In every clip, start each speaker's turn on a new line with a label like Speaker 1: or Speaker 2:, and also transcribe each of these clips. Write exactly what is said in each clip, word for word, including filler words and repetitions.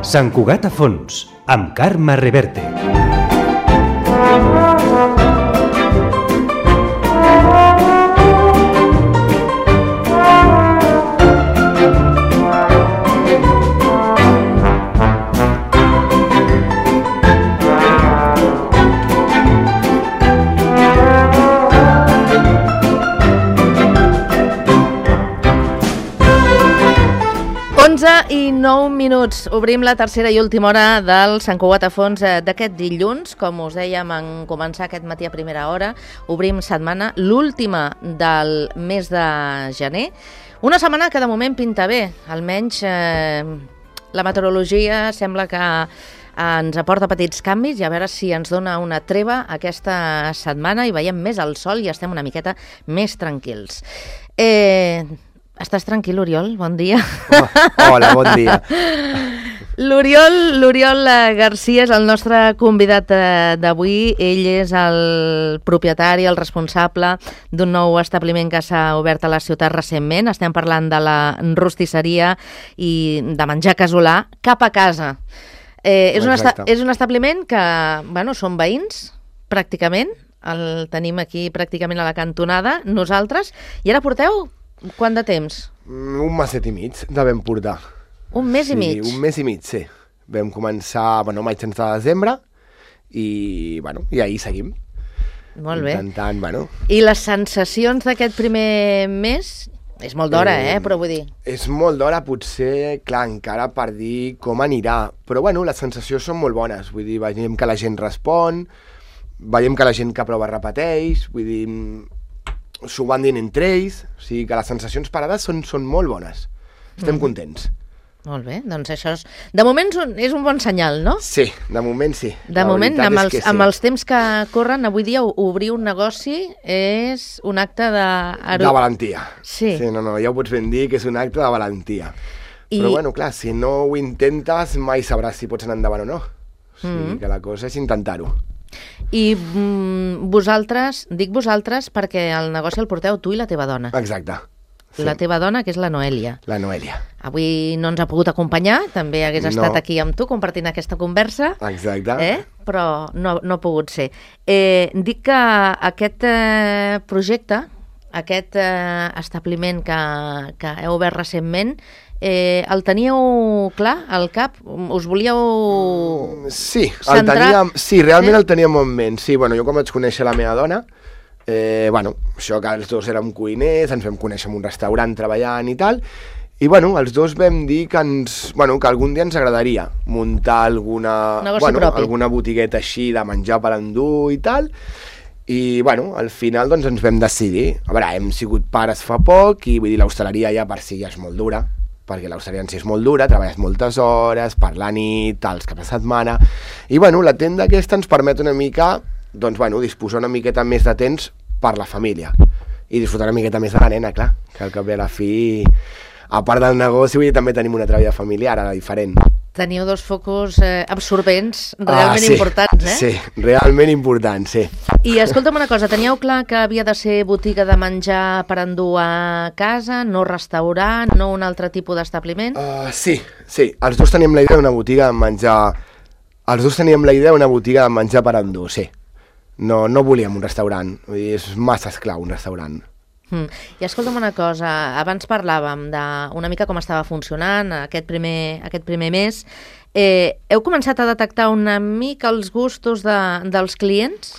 Speaker 1: Sant Cugat a fons, amb Carme Reverte.
Speaker 2: onze i nou minuts. Obrim la tercera i última hora del Sant Cugat a fons d'aquest dilluns. Com us dèiem en començar aquest matí a primera hora, obrim setmana, l'última del mes de gener. Una setmana que de moment pinta bé, almenys eh, la meteorologia sembla que ens aporta petits canvis i a veure si ens dona una treva aquesta setmana i veiem més el sol i estem una miqueta més tranquils. Eh... Estàs tranquil, Oriol? Bon dia.
Speaker 3: Oh, hola, bon dia.
Speaker 2: L'Oriol, l'Oriol Garcia és el nostre convidat d'avui. Ell és el propietari, el responsable d'un nou establiment que s'ha obert a la ciutat recentment. Estem parlant de la rostisseria i de menjar casolà cap a casa. Eh, és, un esta- és un establiment que, bueno, són veïns, pràcticament. El tenim aquí pràcticament a la cantonada, nosaltres. I ara porteu... Quant de temps?
Speaker 3: Un meset i mig devem portar.
Speaker 2: Un mes
Speaker 3: sí,
Speaker 2: i mig?
Speaker 3: Un mes i mig, sí. Vam començar, bueno, maig sense de desembre i, bueno, i ahir seguim.
Speaker 2: Molt bé.
Speaker 3: Intentant, bueno...
Speaker 2: I les sensacions d'aquest primer mes? És molt d'hora, eh, eh? Però vull dir...
Speaker 3: És molt d'hora, potser, clar, encara per dir com anirà. Però, bueno, les sensacions són molt bones. Vull dir, veiem que la gent respon, veiem que la gent que prova repeteix, vull dir... s'ho van dient entre ells, o sigui que les sensacions parades són, són molt bones. Estem mm. contents.
Speaker 2: Molt bé, doncs això és... De moment és un bon senyal, no?
Speaker 3: Sí, de moment sí.
Speaker 2: De
Speaker 3: la
Speaker 2: moment, amb els,
Speaker 3: sí.
Speaker 2: amb els temps que corren, avui dia obrir un negoci és un acte de...
Speaker 3: De valentia.
Speaker 2: Sí.
Speaker 3: Sí, no, no, ja ho pots ben dir que és un acte de valentia.
Speaker 2: I...
Speaker 3: Però bueno, clar, si no ho intentes mai sabràs si pots anar endavant o no. O sigui mm. que la cosa és intentar-ho.
Speaker 2: I mm, vosaltres, dic vosaltres perquè el negoci el porteu tu i la teva dona.
Speaker 3: Exacte. Sí.
Speaker 2: La teva dona, que és la Noèlia.
Speaker 3: La Noèlia.
Speaker 2: Avui no ens ha pogut acompanyar, també hagués estat
Speaker 3: no.
Speaker 2: aquí amb tu compartint aquesta conversa.
Speaker 3: Exacte.
Speaker 2: Eh? Però no, no ha pogut ser. Eh, dic que aquest eh, projecte, aquest eh, establiment que, que heu obert recentment, Eh, el teníeu clar al cap? Us volíeu
Speaker 3: sí,
Speaker 2: centrar?
Speaker 3: El teníem, sí, realment
Speaker 2: sí?
Speaker 3: el teníem en ment. Sí, bueno, jo quan vaig conèixer la meva dona, eh, bueno, això que els dos érem cuiners, ens vam conèixer en un restaurant treballant i tal, i bueno, els dos vam dir que, ens, bueno, que algun dia ens agradaria muntar alguna, bueno, alguna botigueta així de menjar per endur i tal, i bueno, al final doncs ens vam decidir. A veure, hem sigut pares fa poc i vull dir, l'hostaleria ja per si ja és molt dura, perquè l'hostaleria en si és molt dura, treballes moltes hores, per la nit, els caps de setmana, i bueno, la tenda aquesta ens permet una mica, doncs bueno, disposar una miqueta més de temps per la família, i disfrutar una miqueta més de la nena, clar, que al cap i a la fi, a part del negoci, vull dir, també tenim una altra vida familiar, ara diferent.
Speaker 2: Teniu dos focus eh, absorbents realment
Speaker 3: ah, sí,
Speaker 2: importants, eh?
Speaker 3: Sí, realment importants, sí.
Speaker 2: I escolta'm una cosa, teníeu clar que havia de ser botiga de menjar per endur a casa, no restaurant, no un altre tipus d'establiment?
Speaker 3: Uh, sí, sí, els dos teníem la idea d'una botiga de menjar... Els dos teníem la idea d'una botiga de menjar per endur, sí. No, no volíem un restaurant, vull dir, és massa esclau un restaurant.
Speaker 2: Mm. I escolta'm una cosa, abans parlàvem d'una mica com estava funcionant aquest primer, aquest primer mes. Eh, heu començat a detectar una mica els gustos de, dels clients?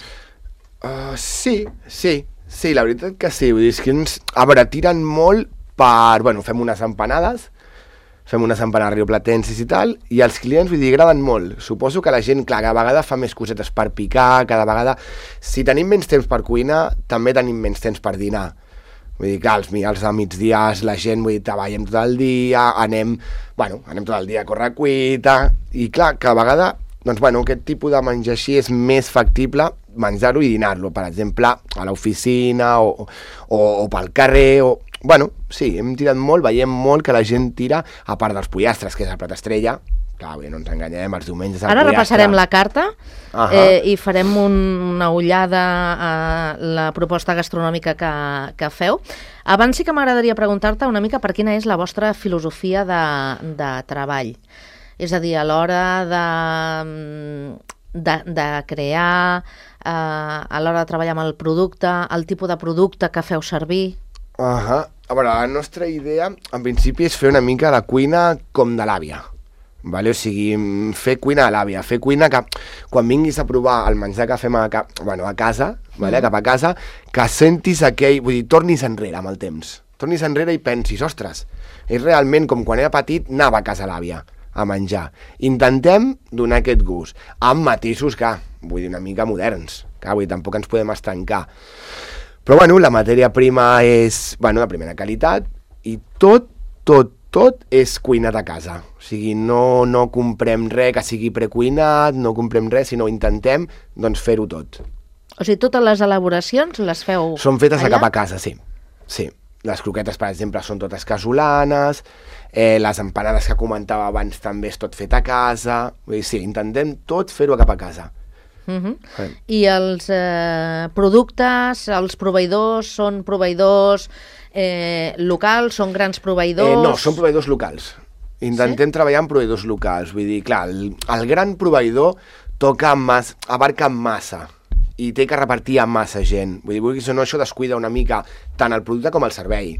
Speaker 3: Uh, sí, sí, sí, la veritat que sí. Vull dir, és que ens, a veure, tiren molt per... Bueno, fem unes empanades, fem unes empanades rioplatenses i tal, i els clients, vull dir, agraden molt. Suposo que la gent, clar, cada vegada fa més cosetes per picar, cada vegada... Si tenim menys temps per cuinar, també tenim menys temps per dinar. Vull dir que als, als de migdies la gent, vull dir, treballem tot el dia, anem, bueno, anem tot el dia a córrer cuita, i clar, cada vegada, doncs bueno, aquest tipus de menjar així és més factible menjar-ho i dinar-lo, per exemple, a l'oficina o, o, o pel carrer, o... Bueno, sí, hem tirat molt, veiem molt que la gent tira, a part dels pollastres, que és el plat estrella, clar, bé, no ens enganyem, els diumenges...
Speaker 2: Ara repassarem la carta
Speaker 3: uh -huh.
Speaker 2: eh, i farem un, una ullada a la proposta gastronòmica que, que feu. Abans sí que m'agradaria preguntar-te una mica per quina és la vostra filosofia de, de treball. És a dir, a l'hora de, de, de crear, eh, a l'hora de treballar amb el producte, el tipus de producte que feu servir...
Speaker 3: Uh-huh. A veure, la nostra idea, en principi, és fer una mica la cuina com de l'àvia. Vale? O sigui, fer cuina a l'àvia, fer cuina que quan vinguis a provar el menjar que fem a, ca... bueno, a casa, vale? mm. cap a casa, que sentis aquell... Vull dir, tornis enrere amb el temps. Tornis enrere i pensis, ostres, és realment com quan era petit, anava a casa a l'àvia a menjar. Intentem donar aquest gust, amb matisos que, vull dir, una mica moderns, que vull dir, tampoc ens podem estancar. Però, bueno, la matèria prima és, bueno, de primera qualitat i tot, tot, tot és cuinat a casa. O sigui, no, no comprem res que sigui precuinat, no comprem res, sinó intentem doncs, fer-ho tot.
Speaker 2: O sigui, totes les elaboracions les feu
Speaker 3: Són fetes
Speaker 2: allà?
Speaker 3: a cap a casa, sí. Sí. Les croquetes, per exemple, són totes casolanes, eh, les empanades que comentava abans també és tot fet a casa. Vull dir, sí, intentem tot fer-ho a cap a casa.
Speaker 2: Uh-huh. Sí. I els eh, productes, els proveïdors, són proveïdors eh, locals, són grans proveïdors?
Speaker 3: Eh, no, són proveïdors locals. Intentem sí? treballar amb proveïdors locals. Vull dir, clar, el, el gran proveïdor toca mas, abarca massa i té que repartir a massa gent. Vull dir, vulguis o no, això descuida una mica tant el producte com el servei.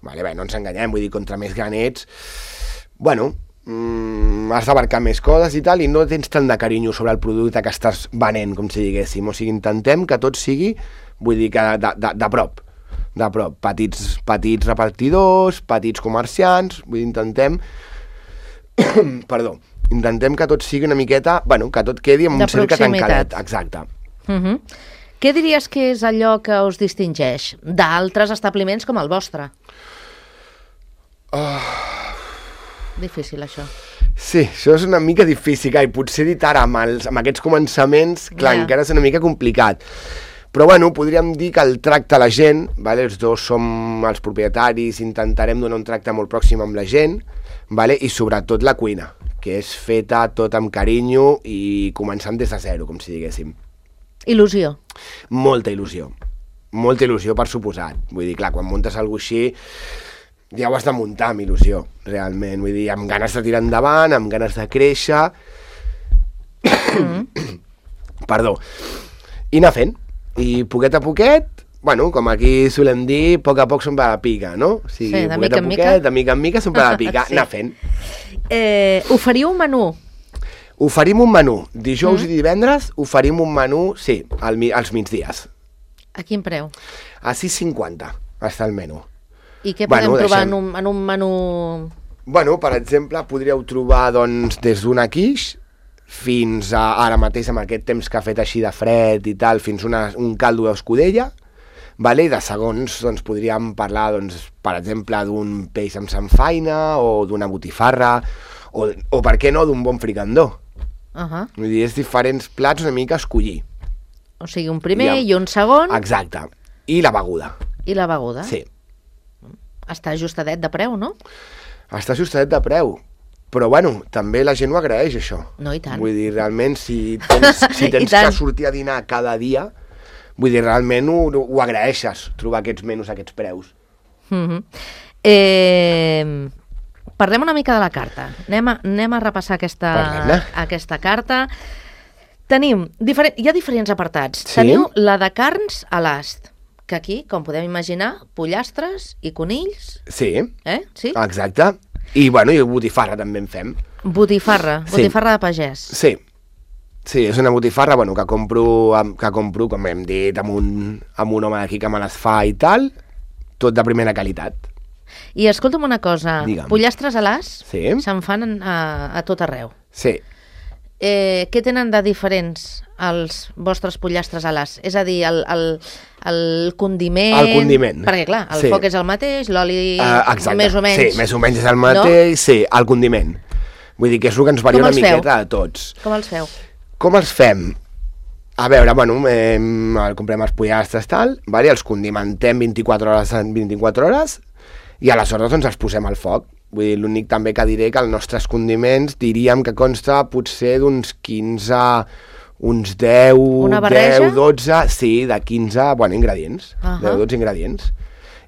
Speaker 3: Vale, bé, no ens enganyem, vull dir, contra més gran ets, bueno, mm, has d'abarcar més coses i tal, i no tens tant de carinyo sobre el producte que estàs venent, com si diguéssim. O sigui, intentem que tot sigui, vull dir, que de, de, de prop, de prop. Petits, petits repartidors, petits comerciants, vull dir, intentem... Perdó, intentem que tot sigui una miqueta, bueno, que tot quedi en un cercle tancadet. Exacte.
Speaker 2: Uh-huh. Què diries que és allò que us distingeix d'altres establiments com el vostre?
Speaker 3: Oh.
Speaker 2: Difícil, això.
Speaker 3: Sí, això és una mica difícil, i potser dit ara amb, els, amb aquests començaments, clar, yeah. encara és una mica complicat. Però, bueno, podríem dir que el tracte a la gent, vale? Els dos som els propietaris, intentarem donar un tracte molt pròxim amb la gent, vale? I sobretot la cuina, que és feta tot amb carinyo i començant des de zero, com si diguéssim.
Speaker 2: Il·lusió.
Speaker 3: Molta il·lusió. Molta il·lusió, per suposat. Vull dir, clar, quan muntes alguna cosa així, ja ho has de muntar amb il·lusió, realment. Vull dir, amb ganes de tirar endavant, amb ganes de créixer... Mm. Perdó. I anar fent. I poquet a poquet, bueno, com aquí solem dir, a poc a poc s'omple la pica, no? O sigui,
Speaker 2: sí, de
Speaker 3: mica en mica. De mica en mica s'omple la pica, sí. Anar fent.
Speaker 2: Eh, oferiu un menú?
Speaker 3: Oferim un menú. Dijous mm. i divendres oferim un menú, sí, al, als migdies.
Speaker 2: A quin preu?
Speaker 3: A sis cinquanta està el menú.
Speaker 2: I què podem bueno, trobar deixem... en, un, en un menú...
Speaker 3: Bueno, per exemple, podríeu trobar doncs, des d'una quiche fins a ara mateix, amb aquest temps que ha fet així de fred i tal, fins una, un caldo d'escudella, vale? I de segons doncs, podríem parlar, doncs, per exemple, d'un peix amb samfaina o d'una botifarra o, o per què no, d'un bon fricandó.
Speaker 2: Uh-huh.
Speaker 3: Vull dir, és diferents plats una mica a escollir.
Speaker 2: O sigui, un primer i, i un segon.
Speaker 3: Exacte. I la beguda.
Speaker 2: I la beguda.
Speaker 3: Sí.
Speaker 2: Està ajustadet de preu, no?
Speaker 3: Està ajustadet de preu. Però, bueno, també la gent ho agraeix, això.
Speaker 2: No, i tant.
Speaker 3: Vull dir, realment, si tens, si tens que sortir a dinar cada dia, vull dir, realment ho, ho agraeixes, trobar aquests menús, aquests preus.
Speaker 2: Mm-hmm. eh, parlem una mica de la carta. Anem a, anem a repassar aquesta, aquesta carta. Tenim, diferent, hi ha diferents apartats. Sí? Teniu la de carns a l'ast, que aquí, com podem imaginar, pollastres i conills.
Speaker 3: Sí,
Speaker 2: eh? Sí?
Speaker 3: Exacte. I, bueno, i botifarra també en fem.
Speaker 2: Botifarra, botifarra sí. de pagès.
Speaker 3: Sí, sí, és una botifarra, bueno, que compro, que compro, com hem dit, amb un, amb un home d'aquí que me les fa i tal, tot de primera qualitat.
Speaker 2: I escolta'm una cosa,
Speaker 3: Digue'm.
Speaker 2: Pollastres a l'as
Speaker 3: sí.
Speaker 2: se'n fan a, a tot arreu.
Speaker 3: Sí.
Speaker 2: Eh, què tenen de diferents els vostres pollastres a l'as? És a dir, el, el, el condiment...
Speaker 3: El condiment.
Speaker 2: Perquè, clar, el sí. foc és el mateix, l'oli
Speaker 3: uh,
Speaker 2: més o menys...
Speaker 3: Sí, més o menys és el mateix, no? Sí, el condiment. Vull dir que és el que ens varia una miqueta a tots.
Speaker 2: Com els feu?
Speaker 3: Com els fem? A veure, bueno, eh, comprem els pollastres, tal, vale? Els condimentem vint-i-quatre hores en vint-i-quatre hores i aleshores doncs els posem al foc. Vull dir, l'únic també que diré que els nostres condiments diríem que consta potser d'uns quinze, uns deu, deu, dotze, sí, de quinze, bueno, ingredients, uh-huh. deu, dotze ingredients.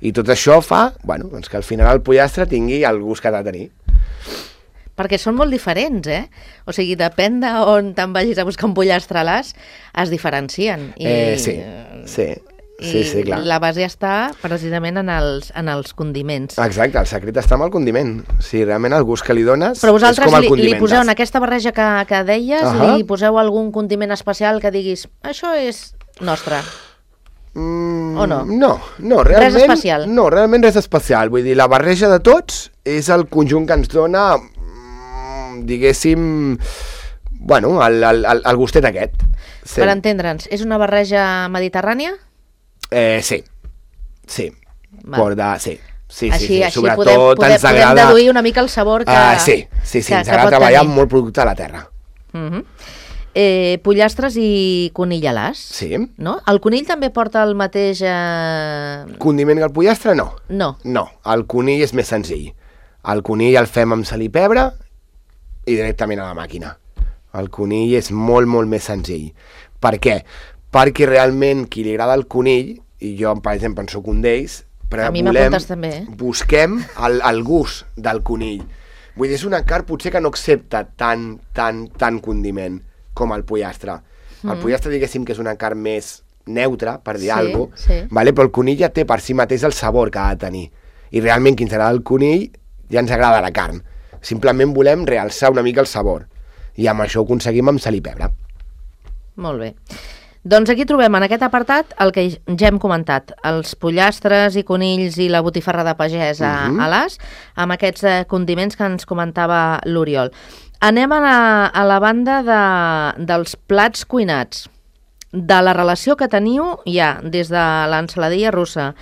Speaker 3: I tot això fa, bueno, doncs que al final el pollastre tingui el gust que ha de tenir.
Speaker 2: Perquè són molt diferents, eh? O sigui, depèn d'on te'n vagis a buscar un pollastre a l'as, es diferencien. I,
Speaker 3: eh, sí, sí.
Speaker 2: I
Speaker 3: sí, sí, clar.
Speaker 2: la base està precisament en els, en els condiments.
Speaker 3: Exacte, el secret està amb el condiment. O sigui, realment el gust que li dones
Speaker 2: Però
Speaker 3: és com el
Speaker 2: li,
Speaker 3: condimentes.
Speaker 2: li poseu en aquesta barreja que, que deies, uh -huh. li poseu algun condiment especial que diguis, això és nostre.
Speaker 3: Mm,
Speaker 2: o no?
Speaker 3: No, no, realment...
Speaker 2: Res especial?
Speaker 3: No, realment res especial. Vull dir, la barreja de tots és el conjunt que ens dona, mm, diguéssim, bueno, el, el, el, el gustet aquest. Sí.
Speaker 2: Per entendre'ns, és una barreja mediterrània?
Speaker 3: Eh, sí, sí.
Speaker 2: Val.
Speaker 3: Porta, sí. Sí,
Speaker 2: així,
Speaker 3: sí, sí.
Speaker 2: així
Speaker 3: Sobretot
Speaker 2: podem, podem,
Speaker 3: ens agrada...
Speaker 2: podem deduir una mica el sabor que...
Speaker 3: Uh, sí, sí, sí,
Speaker 2: que,
Speaker 3: ens agrada treballar amb molt producte de la terra.
Speaker 2: Uh -huh. eh, pollastres i conill a l'as.
Speaker 3: Sí.
Speaker 2: No? El conill també porta el mateix... Eh...
Speaker 3: Condiment que el pollastre, no.
Speaker 2: No.
Speaker 3: No, el conill és més senzill. El conill el fem amb sal i pebre i directament a la màquina. El conill és molt, molt més senzill. Per què? Perquè realment qui li agrada el conill, i jo, per exemple, en soc un d'ells, però
Speaker 2: a mi
Speaker 3: volem,
Speaker 2: m'apuntes també, eh?
Speaker 3: busquem el, el gust del conill. Vull dir, és una carn potser que no accepta tant, tant, tant condiment com el pollastre. Mm. El pollastre, diguéssim, que és una carn més neutra, per dir
Speaker 2: sí,
Speaker 3: alguna cosa,
Speaker 2: sí.
Speaker 3: vale? Però el conill ja té per si mateix el sabor que ha de tenir. I realment, qui ens agrada el conill, ja ens agrada la carn. Simplement volem realçar una mica el sabor. I amb això ho aconseguim amb sal i pebre.
Speaker 2: Molt bé. Doncs aquí trobem en aquest apartat el que ja hem comentat, els pollastres i conills i la botifarra de pagès a, uh -huh. a l'as, amb aquests eh, condiments que ens comentava l'Oriol. Anem a la, a la banda de, dels plats cuinats, de la relació que teniu ja des de l'ensaladilla russa,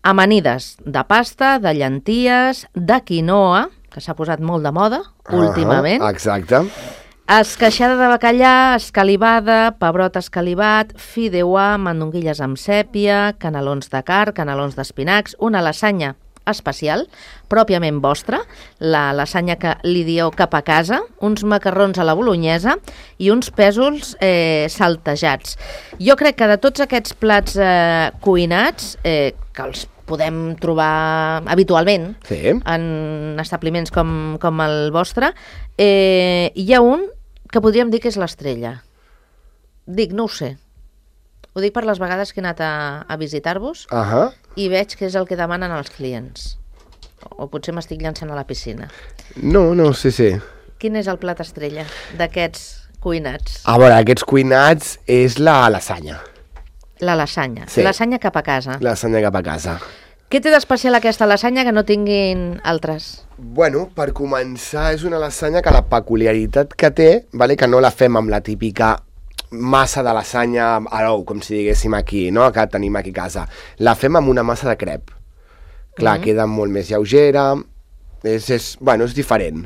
Speaker 2: amanides de pasta, de llenties, de quinoa, que s'ha posat molt de moda uh -huh. últimament.
Speaker 3: Exacte.
Speaker 2: Esqueixada de bacallà, escalivada, pebrot escalivat, fideuà, mandonguilles amb sèpia, canelons de carn, canelons d'espinacs, una lasanya especial, pròpiament vostra, la lasanya que li dieu cap a casa, uns macarrons a la bolonyesa i uns pèsols eh, saltejats. Jo crec que de tots aquests plats eh, cuinats, eh, que els podem trobar habitualment
Speaker 3: sí.
Speaker 2: en establiments com, com el vostre, eh, hi ha un que podríem dir que és l'estrella. Dic, no ho sé. Ho dic per les vegades que he anat a, a visitar-vos
Speaker 3: uh -huh.
Speaker 2: i veig que és el que demanen els clients. O, o potser m'estic llançant a la piscina.
Speaker 3: No, no, sí, sí.
Speaker 2: Quin és el plat estrella d'aquests cuinats?
Speaker 3: A veure, aquests cuinats és la lasanya.
Speaker 2: La lasanya.
Speaker 3: Sí.
Speaker 2: Lasanya cap a casa.
Speaker 3: La lasanya cap a casa.
Speaker 2: Què té d'especial aquesta lasanya que no tinguin altres?
Speaker 3: Bueno, per començar, és una lasanya que la peculiaritat que té, vale, que no la fem amb la típica massa de lasanya a l'ou, com si diguéssim aquí, no? Que tenim aquí a casa. La fem amb una massa de crep. Clar, mm-hmm. queda molt més lleugera, és, és, bueno, és diferent.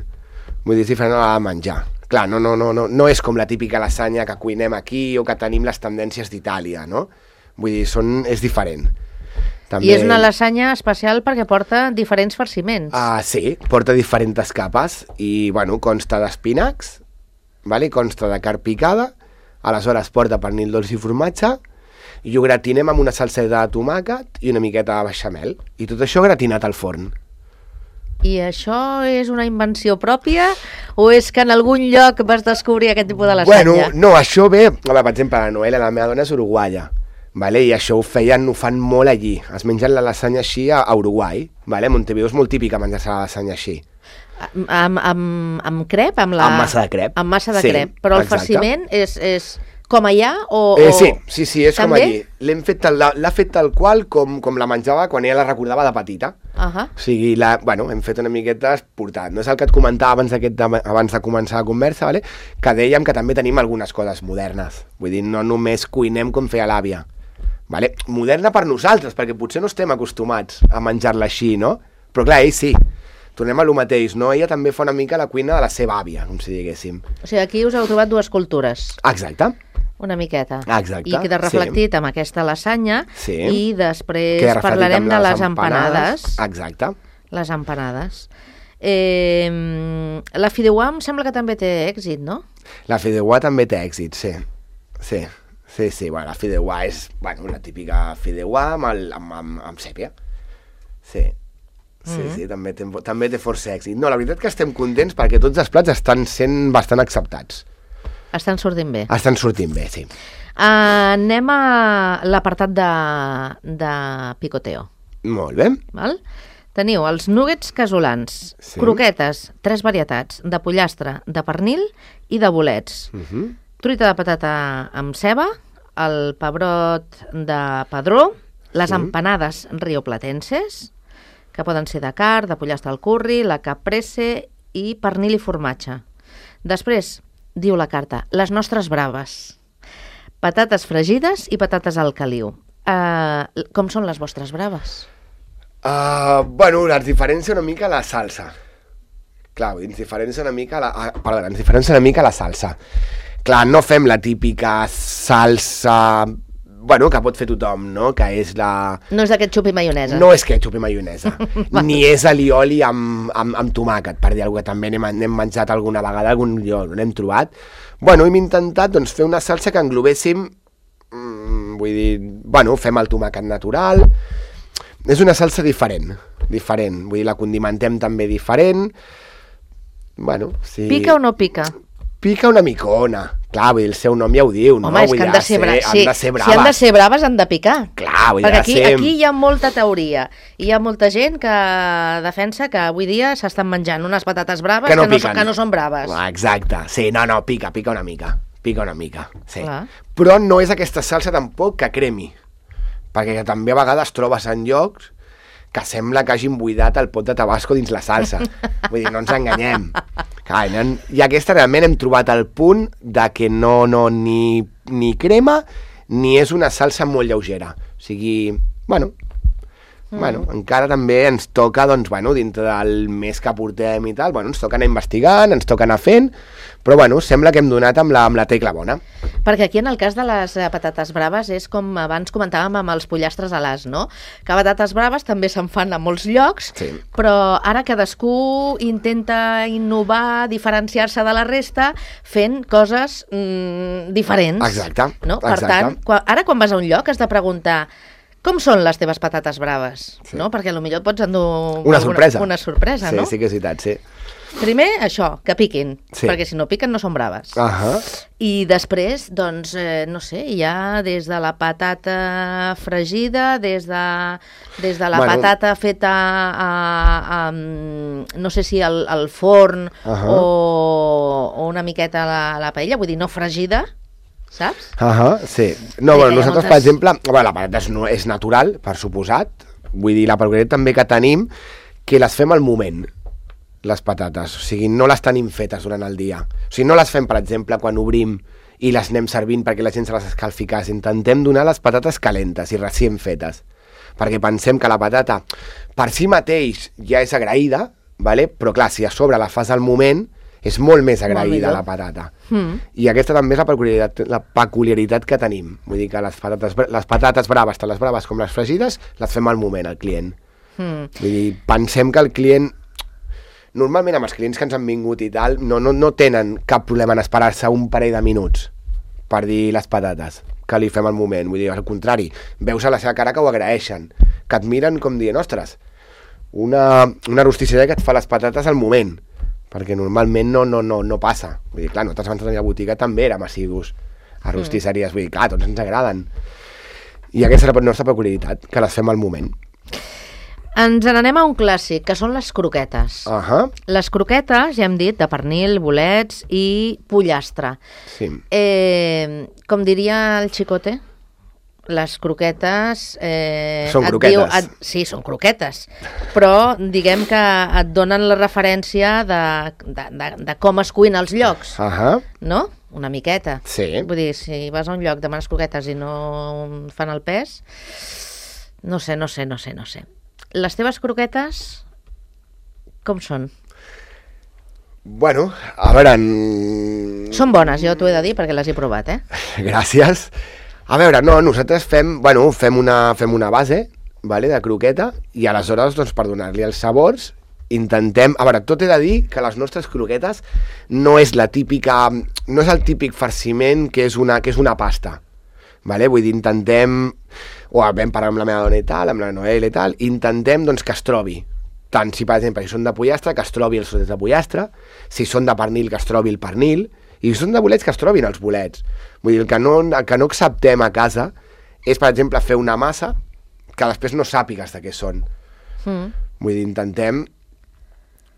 Speaker 3: Vull dir, és diferent a la de menjar. Clar, no, no, no, no, no és com la típica lasanya que cuinem aquí o que tenim les tendències d'Itàlia, no? Vull dir, són, és diferent.
Speaker 2: També... I és una lasanya especial perquè porta diferents farciments.
Speaker 3: Ah, sí, porta diferents capes i, bueno, consta d'espinacs, vale? Consta de carn picada, aleshores porta pernil dolç i formatge i ho gratinem amb una salseta de tomàquet i una miqueta de beixamel. I tot això gratinat al forn.
Speaker 2: I això és una invenció pròpia o és que en algun lloc vas descobrir aquest tipus de lasanya?
Speaker 3: Bueno, no, això ve... Per exemple, la Noelia, la meva dona, és uruguaia. Vale? I això ho feien, ho fan molt allí. Es mengen la lasanya així a, a Uruguai. Vale? A Montevideo és molt típica menjar-se la lasanya així.
Speaker 2: Amb, amb, amb crep? Amb, la...
Speaker 3: amb massa de crep.
Speaker 2: Amb massa de
Speaker 3: sí,
Speaker 2: crep. Però el
Speaker 3: exacte.
Speaker 2: farciment és, és com allà o...
Speaker 3: Eh,
Speaker 2: o...
Speaker 3: sí, sí, sí, és
Speaker 2: també?
Speaker 3: com allí. L'hem fet tal, l'ha fet tal qual com, com la menjava quan ella la recordava de petita.
Speaker 2: Uh -huh.
Speaker 3: O sigui, la, bueno, hem fet una miqueta esportat. No és el que et comentava abans, aquest, abans de començar la conversa, vale? Que dèiem que també tenim algunes coses modernes. Vull dir, no només cuinem com feia l'àvia. Vale? Moderna per nosaltres, perquè potser no estem acostumats a menjar-la així, no? Però clar, ell sí. Tornem a lo mateix, no? Ella també fa una mica la cuina de la seva àvia, com si diguéssim.
Speaker 2: O sigui, aquí us heu trobat dues cultures.
Speaker 3: Exacte.
Speaker 2: Una miqueta.
Speaker 3: Exacte.
Speaker 2: I queda reflectit sí. amb aquesta lasanya
Speaker 3: sí.
Speaker 2: i després parlarem de les empanades.
Speaker 3: Exacte.
Speaker 2: Les empanades. Eh, la fideuà em sembla que també té èxit, no?
Speaker 3: La fideuà també té èxit, sí. Sí. Sí, sí, bueno, la fideuà és, bueno, la típica fideuà amb, el, amb, amb, amb sèpia. Sí, Sí, mm-hmm. sí, també té, també té força èxit. No, la veritat que estem contents perquè tots els plats estan sent bastant acceptats.
Speaker 2: Estan sortint bé.
Speaker 3: Estan sortint bé, sí.
Speaker 2: Uh, anem a l'apartat de, de picoteo.
Speaker 3: Molt bé.
Speaker 2: Val? Teniu els nuggets casolans, sí. croquetes, tres varietats, de pollastre, de pernil i de bolets. Uh-huh. Truita de patata amb ceba, el pebrot de padró, les sí. empanades rioplatenses, que poden ser de carn, de pollastre al curri, la caprese i pernil i formatge. Després, diu la carta, les nostres braves. Patates fregides i patates al caliu. Uh, com són les vostres braves?
Speaker 3: Uh, bueno, ens diferencia una mica la salsa. Clar, ens diferencia una mica la... Uh, perdona, ens diferencia una mica la salsa. Clar, no fem la típica salsa... Bueno, que pot fer tothom, no? Que és la...
Speaker 2: No és de ketchup i maionesa.
Speaker 3: No és ketchup i maionesa. Ni és alioli amb, amb, amb tomàquet, per dir alguna cosa que també n'hem, n'hem menjat alguna vegada, algun lloc n'hem trobat. Bueno, hem intentat doncs, fer una salsa que englobéssim... Mm, vull dir... Bueno, fem el tomàquet natural... És una salsa diferent, diferent. Vull dir, la condimentem també diferent. Bueno, sí...
Speaker 2: Pica o no pica?
Speaker 3: Pica una micona. Clar, vull dir, el seu nom ja ho diu, no?
Speaker 2: Home, és
Speaker 3: vull
Speaker 2: que han de ser, bra...
Speaker 3: ser,
Speaker 2: sí.
Speaker 3: han de ser braves.
Speaker 2: Si han de ser braves, han de picar.
Speaker 3: Clar, vull dir,
Speaker 2: perquè aquí,
Speaker 3: ser...
Speaker 2: aquí hi ha molta teoria. Hi ha molta gent que defensa que avui dia s'estan menjant unes patates braves que no, que no, són, que no són braves.
Speaker 3: Ah, exacte. Sí, no, no, pica, pica una mica. Pica una mica, sí.
Speaker 2: Clar.
Speaker 3: Però no és aquesta salsa tampoc que cremi. Perquè també a vegades trobes en llocs que sembla que hagin buidat el pot de tabasco dins la salsa. Vull dir, no ens enganyem. Clar, i aquesta realment hem trobat el punt de que no, no ni, ni crema ni és una salsa molt lleugera. O sigui, bueno, mm. bueno, encara també ens toca, doncs, bueno, dintre del mes que portem i tal, bueno, ens toca anar investigant, ens toca anar fent, però bueno, sembla que hem donat amb la, amb la tecla bona.
Speaker 2: Perquè aquí en el cas de les patates braves és com abans comentàvem amb els pollastres a l'as, no? Que patates braves també se'n fan a molts llocs, sí. Però ara cadascú intenta innovar, diferenciar-se de la resta fent coses mm, diferents.
Speaker 3: Exacte.
Speaker 2: No? Per
Speaker 3: exacte.
Speaker 2: tant, quan, ara quan vas a un lloc has de preguntar com són les teves patates braves, sí. No? Perquè potser et pots endur
Speaker 3: una sorpresa,
Speaker 2: una sorpresa
Speaker 3: sí,
Speaker 2: no?
Speaker 3: Sí, que és veritat, sí.
Speaker 2: Primer, això, que piquin, sí. Perquè si no piquen no són braves.
Speaker 3: Uh-huh.
Speaker 2: I després, doncs, eh, no sé, hi ha des de la patata fregida, des de, des de la bueno. patata feta a, a, a, no sé si al, al forn uh-huh. o, o una miqueta a la, a la paella, vull dir, no fregida, saps?
Speaker 3: Uh-huh, sí. No, bueno, nosaltres, moltes... per exemple, bueno, la patata és, no, és natural, per suposat, vull dir, la peculiaritat també que tenim, que les fem al moment, les patates, o sigui, no les tenim fetes durant el dia. O sigui, no les fem, per exemple, quan obrim i les anem servint perquè la gent se les escalfi cas. Intentem donar les patates calentes i recient fetes, perquè pensem que la patata per si mateix ja és agraïda, vale? Però clar, si a sobre la fas al moment, és molt més agraïda la patata. Mm. I aquesta també és la peculiaritat, la peculiaritat que tenim. Vull dir que les patates, les patates braves, tant les braves com les fregides, les fem al moment, al client. Mm. Vull dir, pensem que el client... Normalment amb els clients que ens han vingut i tal, no, no, no tenen cap problema en esperar-se un parell de minuts per dir les patates, que li fem al moment. Vull dir, al contrari, veus a la seva cara que ho agraeixen, que et miren com dient, ostres, una, una rostisseria que et fa les patates al moment, perquè normalment no, no, no, no passa. Vull dir, clar, nosaltres abans de tenir la botiga també érem assidus a rostisseries, vull dir, clar, tots ens agraden. I aquesta és la nostra peculiaritat, que les fem al moment.
Speaker 2: Ens n'anem a un clàssic, que són les croquetes.
Speaker 3: Uh-huh.
Speaker 2: Les croquetes, ja hem dit, de pernil, bolets i pollastre.
Speaker 3: Sí.
Speaker 2: Eh, com diria el Xicote, les croquetes... Eh,
Speaker 3: són croquetes.
Speaker 2: Diu, et, sí, són croquetes, però diguem que et donen la referència de, de, de, de com es cuina als llocs,
Speaker 3: uh-huh.
Speaker 2: No? Una miqueta.
Speaker 3: Sí.
Speaker 2: Vull dir, si vas a un lloc, demanes croquetes i no fan el pes, no sé, no sé, no sé, no sé. Les teves croquetes, com són?
Speaker 3: Bueno, a veure... En...
Speaker 2: Són bones, jo t'ho he de dir, perquè les he provat, eh?
Speaker 3: Gràcies. A veure, no, nosaltres fem, bueno, fem, una, fem una base, vale, de croqueta, i aleshores, doncs, per donar-li els sabors, intentem... A veure, tot he de dir que les nostres croquetes no és la típica... No és el típic farciment que és una, que és una pasta. Vale? Vull dir, intentem, o vam parlar amb la meva dona i tal, amb la Noel i tal, intentem doncs, que es trobi, tant si, per exemple, si són de pollastre, que es trobi els trossos de pollastre, si són de pernil, que es trobi el pernil, i si són de bolets, que es trobin els bolets. Vull dir, el que no, el que no acceptem a casa és, per exemple, fer una massa que després no sàpigues de què són. Mm. Vull dir, intentem,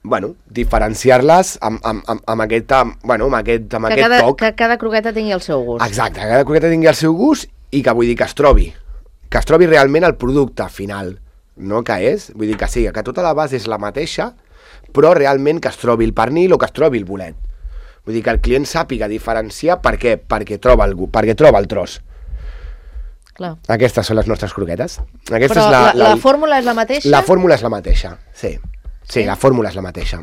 Speaker 3: bueno, diferenciar-les amb, amb, amb, amb aquest, amb, bueno, amb aquest, amb
Speaker 2: que
Speaker 3: aquest
Speaker 2: cada,
Speaker 3: toc.
Speaker 2: Que cada croqueta tingui el seu gust.
Speaker 3: Exacte, que cada croqueta tingui el seu gust i que, vull dir, que es trobi, que es trobi realment el producte final, no que és, vull dir que sí, que tota la base és la mateixa, però realment que es trobi el pernil o que es trobi el bolet. Vull dir que el client sàpiga diferenciar per què, perquè troba el, perquè troba el tros.
Speaker 2: Clar.
Speaker 3: Aquestes són les nostres croquetes. Aquesta
Speaker 2: però
Speaker 3: és la,
Speaker 2: la, la,
Speaker 3: la,
Speaker 2: la fórmula és la mateixa?
Speaker 3: La fórmula és la mateixa, sí. Sí, sí, la fórmula és la mateixa.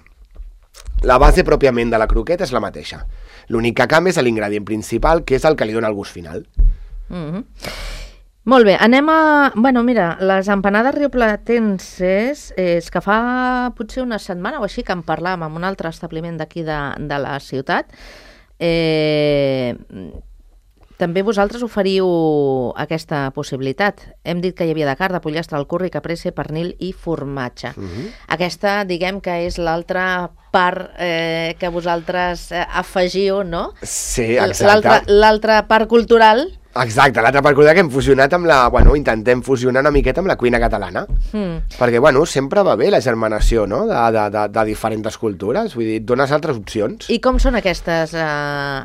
Speaker 3: La base pròpiament de la croqueta és la mateixa. L'únic que canvia és l'ingredient principal, que és el que li dona el gust final.
Speaker 2: Mm-hmm. Molt bé, anem a... Bueno, mira, les empanades rioplatenses, eh, és que fa potser una setmana o així que en parlàvem amb un altre establiment d'aquí de, de la ciutat. Eh, també vosaltres oferiu aquesta possibilitat. Hem dit que hi havia de carn, de pollastre, al curri, caprese, pernil i formatge. Uh-huh. Aquesta, diguem que és l'altra part eh, que vosaltres eh, afegiu, no?
Speaker 3: Sí, exacte.
Speaker 2: L'altra part cultural.
Speaker 3: Exacte, l'altra part cultural que hem fusionat amb la... Bueno, intentem fusionar una miqueta amb la cuina catalana. Mm. Perquè, bueno, sempre va bé la germanació, no?, de, de, de, de diferents cultures. Vull dir, et dones altres opcions.
Speaker 2: I com són aquestes eh,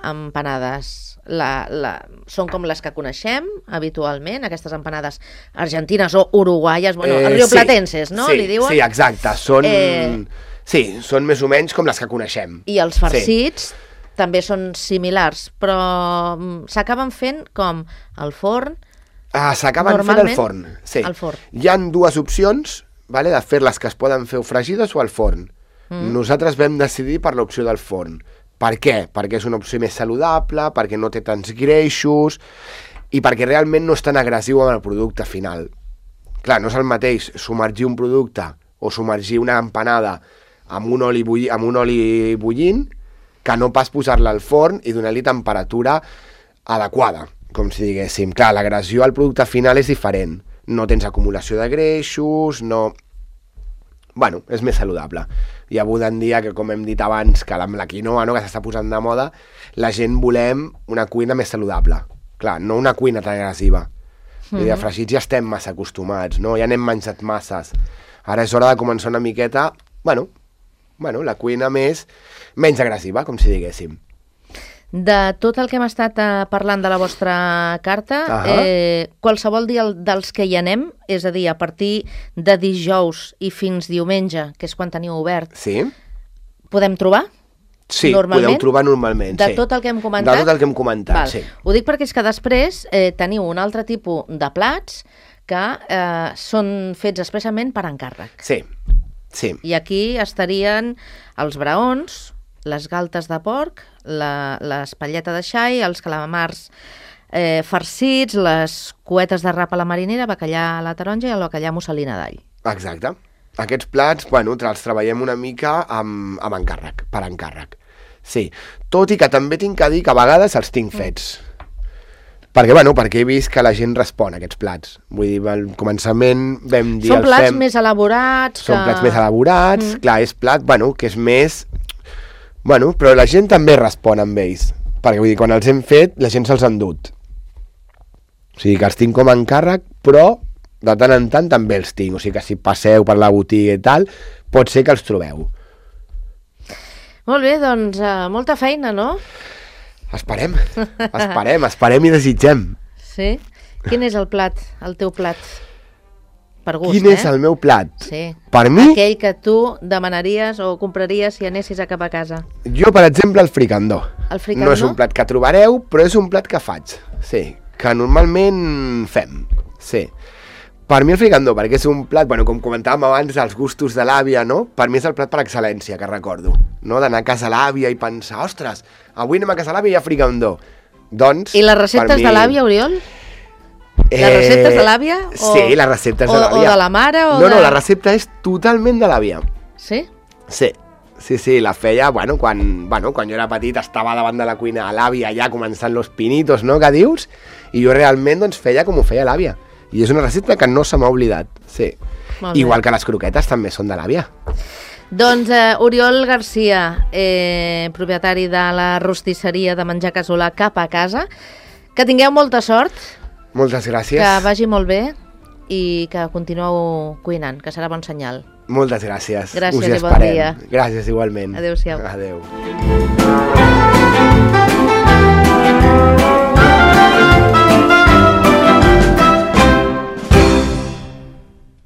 Speaker 2: empanades? La, la, són com les que coneixem habitualment, aquestes empanades argentines o uruguaies, bueno, eh, rioplatenses,
Speaker 3: sí,
Speaker 2: no?
Speaker 3: Sí,
Speaker 2: li diuen?
Speaker 3: Sí, exacte. Són,
Speaker 2: eh...
Speaker 3: sí, són més o menys com les que coneixem.
Speaker 2: I els farcits... Sí. També són similars, però s'acaben fent com al forn?
Speaker 3: Ah, s'acaben fent al forn, sí.
Speaker 2: Al forn.
Speaker 3: Hi ha dues opcions, vale, de fer-les que es poden fer o fregides o al forn. Mm. Nosaltres vam decidir per l'opció del forn. Per què? Perquè és una opció més saludable, perquè no té tants greixos i perquè realment no és tan agressiu amb el producte final. Clar, no és el mateix submergir un producte o submergir una empanada amb un oli, bulli, amb un oli bullint que no pas posar-la al forn i donar-li temperatura adequada, com si diguéssim. Clar, l'agressió al producte final és diferent. No tens acumulació de greixos, no... Bueno, és més saludable. I avui en dia, que com hem dit abans, que amb la quinoa, no?, que s'està posant de moda, la gent volem una cuina més saludable. Clar, no una cuina tan agressiva. Mm-hmm. I de fregits ja estem massa acostumats, no? Ja n'hem menjat masses. Ara és hora de començar una miqueta, bueno, bueno, la cuina més... menys agressiva, com si diguéssim.
Speaker 2: De tot el que hem estat eh, parlant de la vostra carta, uh-huh. eh, qualsevol dia dels que hi anem, és a dir, a partir de dijous i fins diumenge, que és quan teniu obert,
Speaker 3: sí.
Speaker 2: podem trobar?
Speaker 3: Sí, podeu trobar normalment.
Speaker 2: De
Speaker 3: sí.
Speaker 2: tot el que hem comentat?
Speaker 3: De tot el que hem comentat,
Speaker 2: Val.
Speaker 3: sí.
Speaker 2: Ho dic perquè és que després eh, teniu un altre tipus de plats que eh, són fets expressament per encàrrec.
Speaker 3: Sí, sí.
Speaker 2: I aquí estarien els braons, les galtes de porc, la, l'espatlleta de xai, els calamars eh, farcits, les cuetes de rap a la marinera, bacallà a la taronja i el bacallà musselina d'all.
Speaker 3: Exacte. Aquests plats, bueno, els treballem una mica amb, amb encàrrec, per encàrrec. Sí, tot i que també tinc que dir que a vegades els tinc fets. Mm. Perquè, bueno, perquè he vist que la gent respon a aquests plats. Vull dir, al començament vam dir...
Speaker 2: Són plats
Speaker 3: fem...
Speaker 2: més elaborats.
Speaker 3: Són
Speaker 2: que...
Speaker 3: plats més elaborats,
Speaker 2: mm.
Speaker 3: clar, és plat, bueno, que és més... Bueno, però la gent també respon amb ells, perquè vull dir, quan els hem fet, la gent se'ls ha endut. O sigui, que els tinc com a encàrrec, però de tant en tant també els tinc. O sigui, que si passeu per la botiga i tal, pot ser que els trobeu.
Speaker 2: Molt bé, doncs uh, molta feina, no?
Speaker 3: Esperem, esperem, esperem i desitgem.
Speaker 2: Sí? Quin és el plat, el teu plat? Per gust,
Speaker 3: Quin
Speaker 2: eh?
Speaker 3: és el meu plat?
Speaker 2: Sí.
Speaker 3: Per mi...
Speaker 2: Aquell que tu demanaries o compraries si anessis a cap a casa.
Speaker 3: Jo, per exemple, el fricandó.
Speaker 2: El fricandó?
Speaker 3: No és un plat que trobareu, però és un plat que faig. Sí, que normalment fem. Sí. Per mi el fricandó, perquè és un plat, bueno, com comentàvem abans, els gustos de l'àvia, no? Per mi és el plat per excel·lència, que recordo. No? D'anar a casa l'àvia i pensar, ostres, avui anem a casa l'àvia i hi ha fricandó. Doncs,
Speaker 2: I les receptes mi... de l'àvia, Oriol?
Speaker 3: Eh,
Speaker 2: les receptes de l'àvia? O...
Speaker 3: Sí, les receptes
Speaker 2: o,
Speaker 3: de l'àvia.
Speaker 2: O de la mare? O
Speaker 3: no,
Speaker 2: de...
Speaker 3: no, la recepta és totalment de l'àvia.
Speaker 2: Sí?
Speaker 3: Sí. Sí, sí, la feia, bueno, quan, bueno, quan jo era petit estava davant de la cuina a l'àvia ja començant los pinitos, no?, que dius, i jo realment doncs feia com ho feia l'àvia. I és una recepta que no se m'ha oblidat, sí.
Speaker 2: Molt bé.
Speaker 3: Igual que les croquetes també són de l'àvia.
Speaker 2: Doncs eh, Oriol Garcia, eh, propietari de la rostisseria de menjar casolà Cap a Casa, que tingueu molta sort,
Speaker 3: Moltes gràcies.
Speaker 2: que vagi molt bé i que continueu cuinant, que serà bon senyal.
Speaker 3: Moltes gràcies.
Speaker 2: Gràcies
Speaker 3: Us hi
Speaker 2: i bon
Speaker 3: esperem.
Speaker 2: dia.
Speaker 3: Gràcies igualment.
Speaker 2: Adéu-siau.
Speaker 3: Adéu.